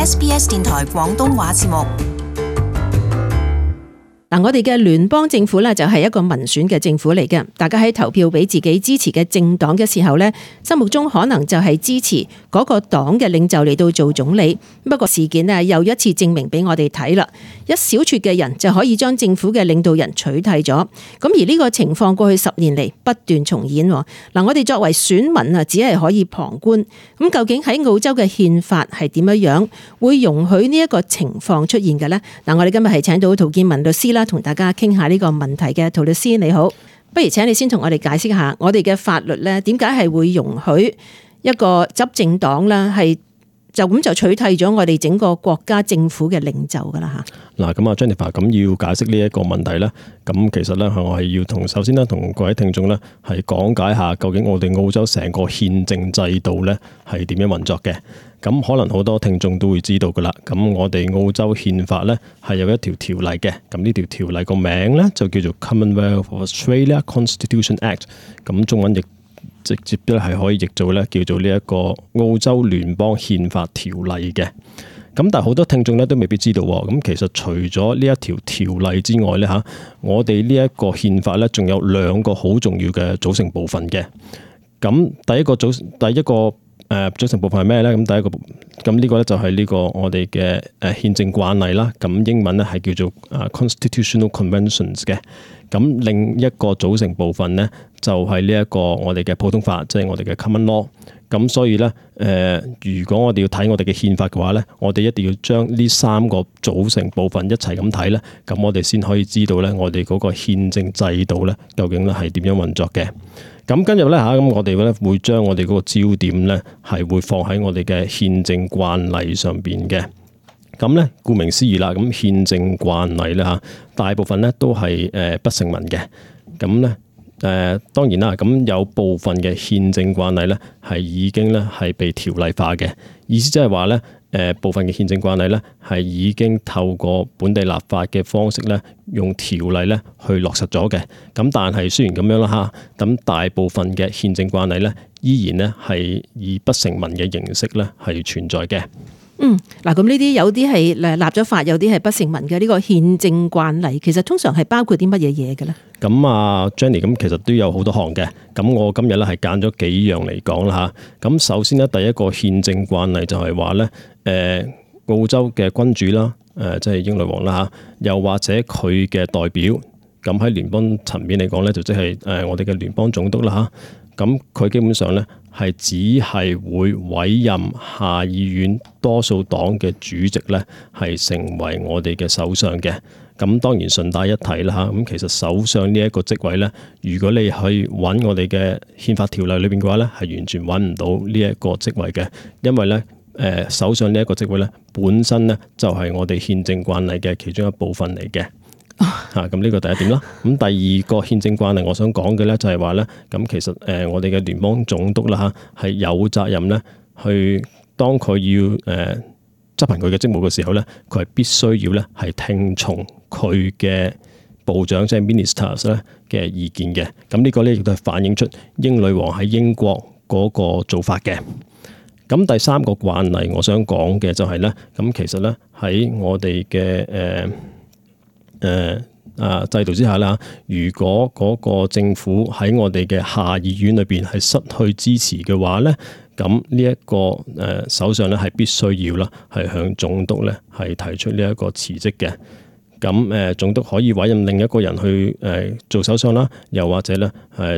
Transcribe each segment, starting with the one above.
SBS 電台廣東話節目。我哋嘅聯邦政府咧就係一個民選嘅政府嚟嘅，大家喺投票俾自己支持嘅政黨嘅時候咧，心目中可能就係支持嗰個黨嘅領袖嚟到做總理。不過事件咧又一次證明俾我哋睇啦，一小撮嘅人就可以將政府嘅領導人取締咗。咁而呢個情況過去10年嚟不斷重演。我哋作為選民啊，只係可以旁觀。咁究竟喺澳洲嘅憲法係點樣會容許呢一個情況出現嘅呢？我哋今日係請到陶建文律師啦，同大家傾下呢個問題嘅。陶律師你好，不如請你先同我哋解釋下，我哋嘅法律咧點解係會容許一個執政黨啦係就咁就取締咗我哋整個國家政府嘅領袖噶啦吓。嗱，咁啊 Jennifer， 咁要解釋呢一個問題咧，咁其實咧我係要首先咧同各位聽眾咧係講解下究竟我哋澳洲成個憲政制度咧係點樣運作嘅。咁可能好多聽眾都會知道噶啦。咁我哋澳洲憲法咧係有一條條例嘅。咁呢條條例個名咧就叫做 Commonwealth of Australia Constitution Act。咁中文譯直接咧係可以譯做咧叫做呢一個澳洲聯邦憲法條例嘅。咁但係好多聽眾咧都未必知道喎。咁其實除咗呢一條條例之外咧嚇，我哋呢一個憲法咧仲有2個好重要嘅組成部分嘅。咁第一個組成部分係咩咧？咁呢個咧就係呢個我哋嘅憲政慣例啦。咁英文咧係叫做Constitutional Conventions 嘅。咁另一個組成部分咧就係呢一個我哋嘅普通法，即係我哋嘅 Common Law。咁所以咧如果我哋要睇我哋嘅憲法嘅話咧，我哋一定要將呢3個組成部分一齊咁睇咧，咁我哋先可以知道咧我哋嗰個憲政制度咧究竟咧係點樣運作嘅。咁跟住咧嚇，咁我哋咧會將我哋嗰個焦點咧係會放喺我哋嘅憲政慣例上邊嘅。咁咧顧名思義啦，咁憲政慣例咧嚇，大部分咧都係不成文嘅。咁咧當然啦，咁有部分嘅憲政慣例咧係已經咧係被條例化嘅，意思即係話咧部分嘅憲政慣例咧係已經透過本地立法嘅方式咧用條例咧去落實咗嘅。咁但係雖然咁樣啦嚇，咁大部分嘅憲政慣例咧依然咧係以不成文嘅形式咧係存在嘅。嗱，咁呢啲有啲係立咗法，有啲係不成文嘅呢個憲政慣例，其實通常係包括啲乜嘢嘢嘅咧？咁啊 Jenny， 咁其實都有好多項嘅。咁我今日咧係揀咗幾樣嚟講啦嚇。咁首先咧，第一個憲政慣例就係話咧，澳洲嘅君主啦，即係英女王啦嚇，又或者佢嘅代表，咁喺聯邦層面嚟講咧，就即係我哋嘅聯邦總督啦嚇。咁佢基本上咧係只係會委任下議院多數黨嘅主席咧，係成為我哋嘅首相嘅。咁當然順帶一提啦嚇，咁其實首相呢一個職位咧，如果你去揾我哋嘅憲法條例裏邊嘅話咧，係完全揾唔到呢一個職位嘅，因為咧首相呢一個職位咧本身咧就係我哋憲政慣例嘅其中一部分嚟嘅。咁呢個第一點啦。咁第二個憲政慣例，我想講嘅咧就係話咧，咁其實我哋嘅聯邦總督啦嚇係有責任咧，去當佢要執行佢嘅職務嘅時候咧，佢係必須要咧係聽從佢嘅部長即係 ministers 咧嘅意見嘅。咁呢個咧亦都係反映出英女王喺英國嗰個做法嘅。咁第三個慣例，我想講嘅就係咧，咁其實咧喺我哋嘅制度之下啦，如果嗰個政府喺我哋嘅下議院裏邊係失去支持嘅話咧，咁呢一個首相咧係必須要啦，係向總督咧係提出呢一個辭職嘅。咁總督可以委任另一個人去做首相啦，又或者咧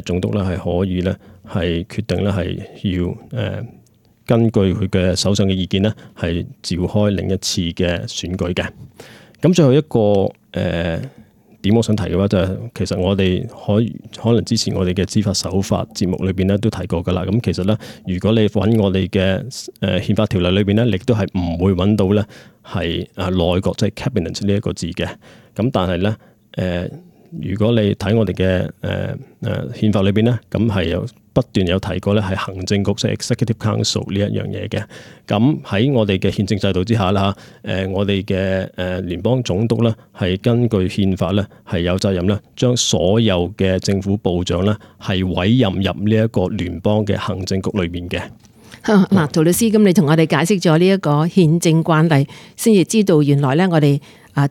總督咧係可以咧係決定咧係要根據佢嘅首相嘅意見咧係召開另一次嘅選舉嘅。咁最後一個點我想提嘅話就係，其實我哋可能之前我哋嘅知法守法節目裏邊咧都提過噶啦。咁其實咧，如果你揾我哋嘅憲法條例裏邊咧，亦都係唔會揾到咧係內閣即係 cabinet 呢一個字嘅。咁但係咧如果你睇我哋嘅憲法裏邊咧，咁係有不斷有提過咧，係行政局即係 Executive Council 呢一樣嘢嘅。咁喺我哋嘅憲政制度之下啦，我哋嘅聯邦總督咧係根據憲法咧係有責任咧，將所有嘅政府部長咧係委任入呢一個聯邦嘅行政局裏面嘅。嗱，陶律師，咁你同我哋解釋咗呢一個憲政慣例，先至知道原來咧我哋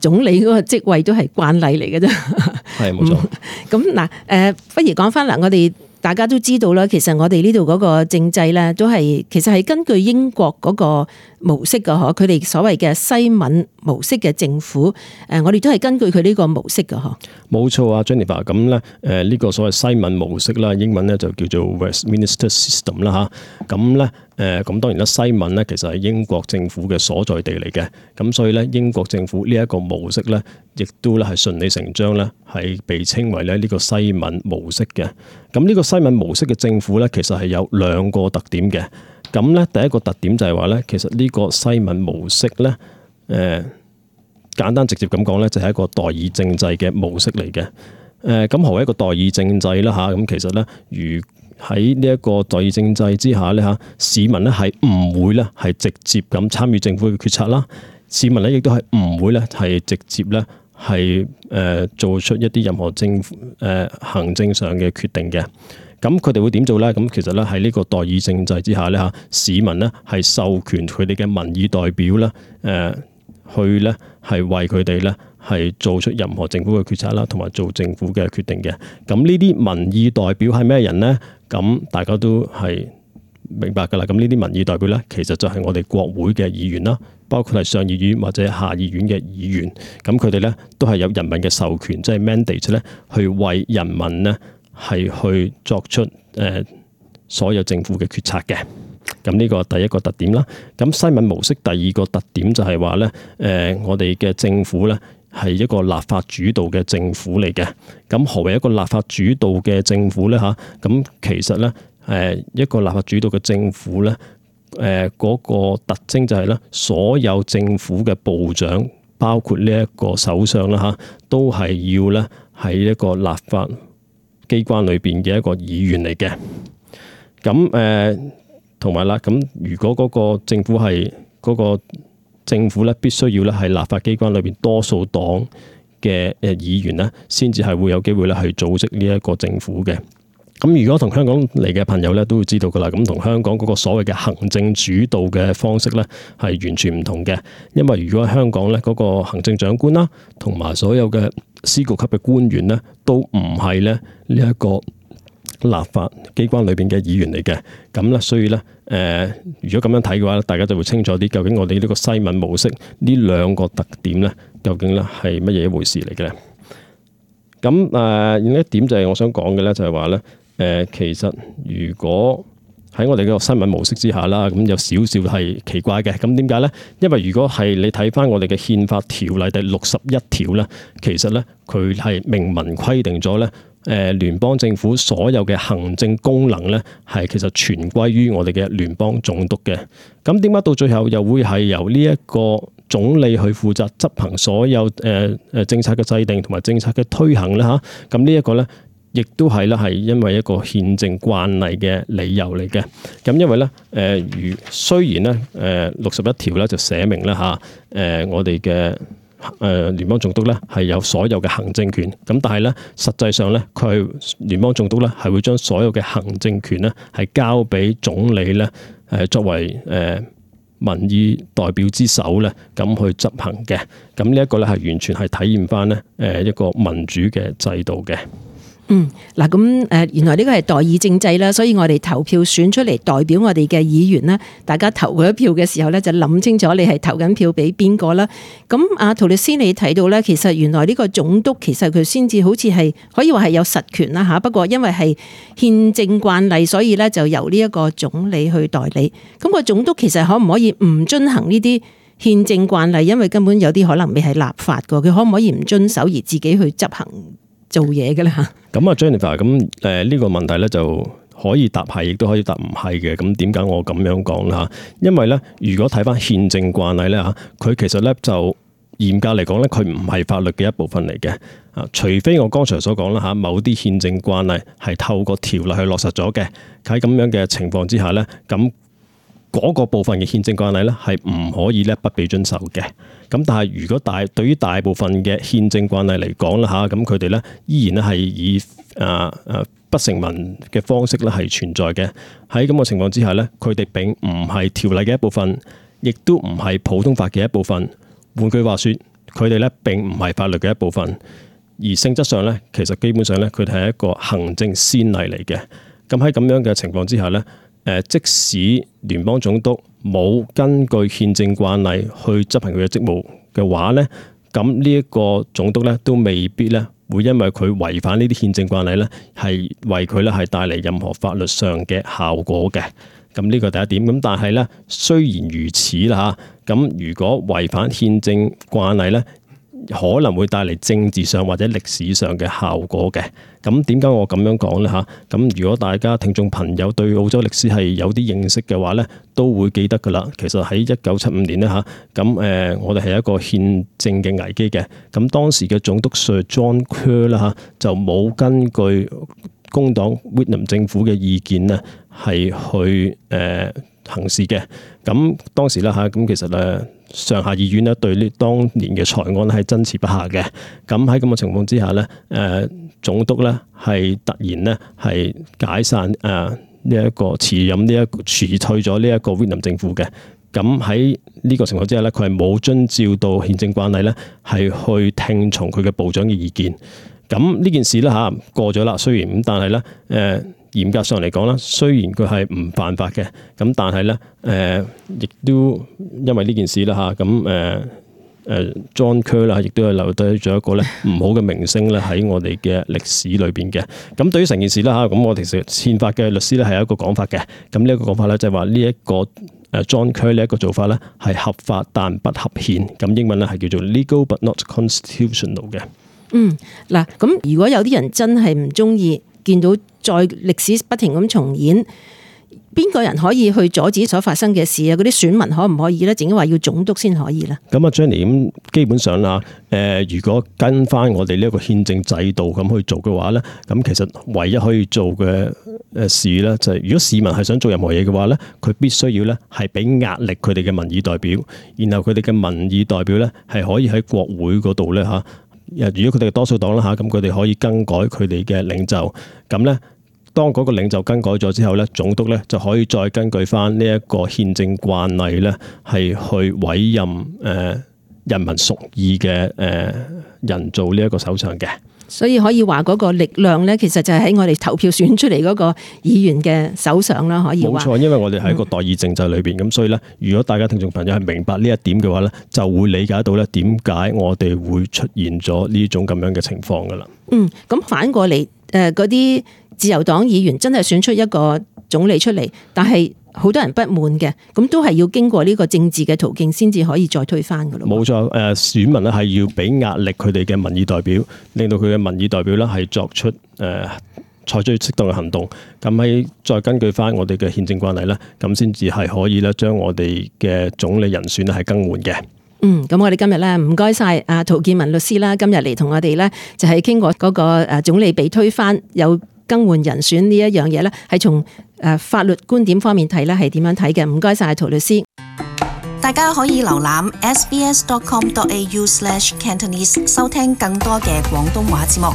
總理嗰個職位都係慣例嚟嘅啫。係冇錯。咁嗱，不如講翻嗱，我哋大家都知道啦，其實我哋呢度嗰個政制咧，都係其實係根據英國嗰個模式嘅嗬，佢哋所謂嘅西敏模式嘅政府，我哋都係根據佢呢個模式嘅嗬。冇錯啊 Jennifer， 咁咧呢個所謂西敏模式啦，英文咧就叫做 Westminster System 啦嚇。咁咧咁當然啦，西敏咧其實係英國政府嘅所在地嚟嘅，咁所以咧英國政府呢一個模式咧，亦都咧係順理成章咧係被稱為咧呢個西敏模式嘅。咁呢個西敏模式嘅政府咧，其實係有兩個特點嘅。咁咧第一個特點就係話咧，其實呢個西敏模式咧，簡單直接咁講咧，就係一個代議政制嘅模式嚟嘅。咁何為一個代議政制啦嚇？咁其實咧，如喺呢一個代議政制之下咧嚇，市民咧係唔會咧係直接咁參與政府嘅決策啦。市民咧亦都係唔會咧係直接咧係做出一啲任何政府行政上嘅決定嘅。咁佢哋會點做咧？咁其實咧喺呢個代議政制之下咧嚇，市民咧係授權佢哋嘅民意代表咧去咧係為佢哋咧係做出任何政府嘅決策啦，同埋做政府嘅決定嘅。咁呢啲民意代表係咩人咧？咁大家都係明白㗎啦。咁呢啲民意代表咧，其實就係我哋國會嘅議員啦，包括係上議院或者下議院嘅議員。咁佢哋咧都係有人民嘅授權，即係 mandate 咧，去為人民咧係去作出所有政府嘅決策嘅。咁呢個第一個特點啦。咁西敏模式第二個特點就係話咧，我哋嘅政府咧係一個立法主導嘅政府嚟嘅。咁何為一個立法主導嘅政府咧嚇？咁其實咧一個立法主導嘅政府咧嗰個特徵就係咧，所有政府嘅部長，包括呢一個首相啦嚇，都係要咧喺一個立法機關裏邊嘅一個議員嚟嘅。咁同埋啦，咁如果嗰個政府係嗰個政府咧，必須要咧係立法機關裏邊多數黨嘅議員咧，先至係會有機會咧去組織呢一個政府嘅。咁如果同香港嚟嘅朋友咧，都會知道噶啦。咁同香港嗰個所謂嘅行政主導嘅方式咧，係完全唔同嘅。因為如果香港咧嗰個行政長官啦，同埋所有嘅司局級嘅官員咧，都唔係咧呢一個立法機關裏邊嘅議員嚟嘅。咁咧，所以咧如果咁樣睇嘅話，大家就會清楚啲，究竟我哋呢個西敏模式呢兩個特點咧，究竟咧係乜嘢一回事嚟嘅咧？咁另一點就係我想講嘅咧，就係話咧。其實如果喺我哋個西敏模式之下啦，咁有少少係奇怪嘅。咁點解咧？因為如果係你睇翻我哋嘅憲法條例第61條咧，其實咧佢係明文規定咗咧，聯邦政府所有嘅行政功能咧係其實全歸於我哋嘅聯邦總督嘅。咁點解到最後又會係由呢一個總理去負責執行所有政策嘅制定同埋政策嘅推行咧嚇？咁呢一個咧，亦都係咧，係因為一個憲政慣例嘅理由嚟嘅。咁因為咧，雖然咧，61條咧就寫明咧嚇，我哋嘅聯邦總督咧係有所有嘅行政權。咁但係咧，實際上咧，佢聯邦總督咧係會將所有嘅行政權咧係交俾總理咧，作為民意代表之首咧，咁去執行嘅。咁呢一個咧係完全係體驗翻咧一個民主嘅制度嘅。嗱咁原來呢個係代議政制啦，所以我哋投票選出嚟代表我哋嘅議員啦，大家投佢一票嘅時候咧，就諗清楚你係投緊票俾邊個啦。咁陶律師你睇到咧，其實原來呢個總督其實佢先至好似係可以話係有實權啦嚇，不過因為係憲政慣例，所以咧就由呢一個總理去代理。咁個總督其實可唔可以唔遵行呢啲憲政慣例？因為根本有啲可能未係立法㗎，佢可唔可以唔遵守而自己去執行做嘢嘅咧嚇？咁啊 Jennifer， 咁呢個問題咧就可以答係，亦都可以答唔係嘅。咁點解我咁樣講啦嚇？因為咧，如果睇翻憲政慣例咧嚇，佢其實咧就嚴格嚟講咧，佢唔係法律嘅一部分嚟嘅啊。除非我剛才所講啦嚇，某啲憲政慣例係透過條例去落實咗嘅，喺咁樣嘅情況之下咧，咁嗰個部分嘅憲政慣例咧係唔可以咧不被遵守嘅。咁但係如果對於大部分嘅憲政慣例嚟講啦嚇，咁佢哋咧依然咧係以不成文嘅方式咧係存在嘅。喺咁嘅情況之下咧，佢哋並唔係條例嘅一部分，亦都唔係普通法嘅一部分。換句話說，佢哋咧並唔係法律嘅一部分，而性質上咧，其實基本上咧，佢哋係一個行政先例嚟嘅。咁喺咁樣嘅情況之下咧，即使聯邦總督冇根據憲政慣例去執行佢嘅職務嘅話咧，咁呢一個總督咧都未必咧會因為佢違反呢啲憲政慣例咧，係為佢咧係帶嚟任何法律上嘅效果嘅。咁呢個第一點。咁但係咧，雖然如此啦嚇，咁如果違反憲政慣例咧，可能會帶嚟政治上或者歷史上嘅效果嘅。咁點解我咁樣講呢？嚇？咁如果大家聽眾朋友對澳洲歷史係有啲認識嘅話呢，都會記得㗎啦。其實喺1975年呢，嚇，咁我哋係一個憲政嘅危機嘅。咁當時嘅總督 Sir John Kerr 啦嚇，就冇根據工黨 Whitlam 政府嘅意見呢係去行事嘅。咁當時啦嚇，咁其實上下議院咧對呢當年嘅財案係爭持不下嘅。咁喺咁嘅情況之下咧，總督咧係突然咧係解散呢一個辭退咗呢一個 Whitlam 政府嘅。咁喺呢個情況之下咧，佢係冇遵照到憲政慣例咧，係去聽從佢嘅部長嘅意見。咁呢件事咧嚇過咗啦，雖然咁，但係咧嚴格上嚟講啦，雖然佢係唔犯法嘅，咁但係咧亦都因為呢件事啦嚇，咁John Kerr 啦，亦都係留低咗一個咧唔好嘅名聲咧喺我哋嘅歷史裏邊嘅。咁對於成件事啦嚇，咁我其實憲法嘅律師咧係有一個講法嘅。咁呢一個講法咧就係話呢一個John Kerr 呢一個做法咧係合法但不合憲。咁英文咧係叫做 legal but not constitutional 嘅。嗱，咁如果有啲人真係唔中意見到再歷史不停咁重演，邊個人可以去阻止所發生嘅事啊？嗰啲選民可唔可以咧？淨係話要總督先可以咧？咁啊 Jenny， 咁基本上啦，如果跟翻我哋呢一個憲政制度咁去做嘅話咧，咁其實唯一可以做嘅事咧，就係如果市民係想做任何嘢嘅話咧，佢必須要咧係俾壓力佢哋嘅民意代表，然後佢哋嘅民意代表咧係可以喺國會嗰度咧嚇。如果佢哋係多數黨啦嚇，咁佢哋可以更改佢哋嘅領袖。咁咧，當嗰個領袖更改咗之後咧，總督咧就可以再根據翻呢一個憲政慣例咧，係去委任人民屬意嘅人做呢一個首相嘅。所以可以話嗰個力量咧，其實就係喺我哋投票選出嚟嗰個議員嘅手上啦。可以話冇錯，因為我哋喺一個代議政制裏邊，咁所以咧，如果大家聽眾朋友係明白呢一點嘅話咧，就會理解到咧點解我哋會出現咗呢種咁樣嘅情況噶啦。咁反過嚟，嗰啲自由黨議員真係選出一個總理出嚟，但係好多人不滿嘅，咁都係要經過呢個政治嘅途徑先至可以再推翻噶咯。冇錯，選民咧係要俾壓力佢哋嘅民意代表，令到佢嘅民意代表咧係作出採取適當嘅行動。咁喺再根據翻我哋嘅憲政慣例咧，咁先至係可以咧將我哋嘅總理人選咧係更換嘅。咁我哋今日咧唔該晒阿陶建文律師啦，今日嚟同我哋咧就係傾過嗰個總理被推翻有更換人選呢一樣嘢咧，係從法律觀點方面睇咧係點樣睇嘅？唔該晒陶律師。大家可以瀏覽 sbs.com.au/Cantonese 收聽更多嘅廣東話節目。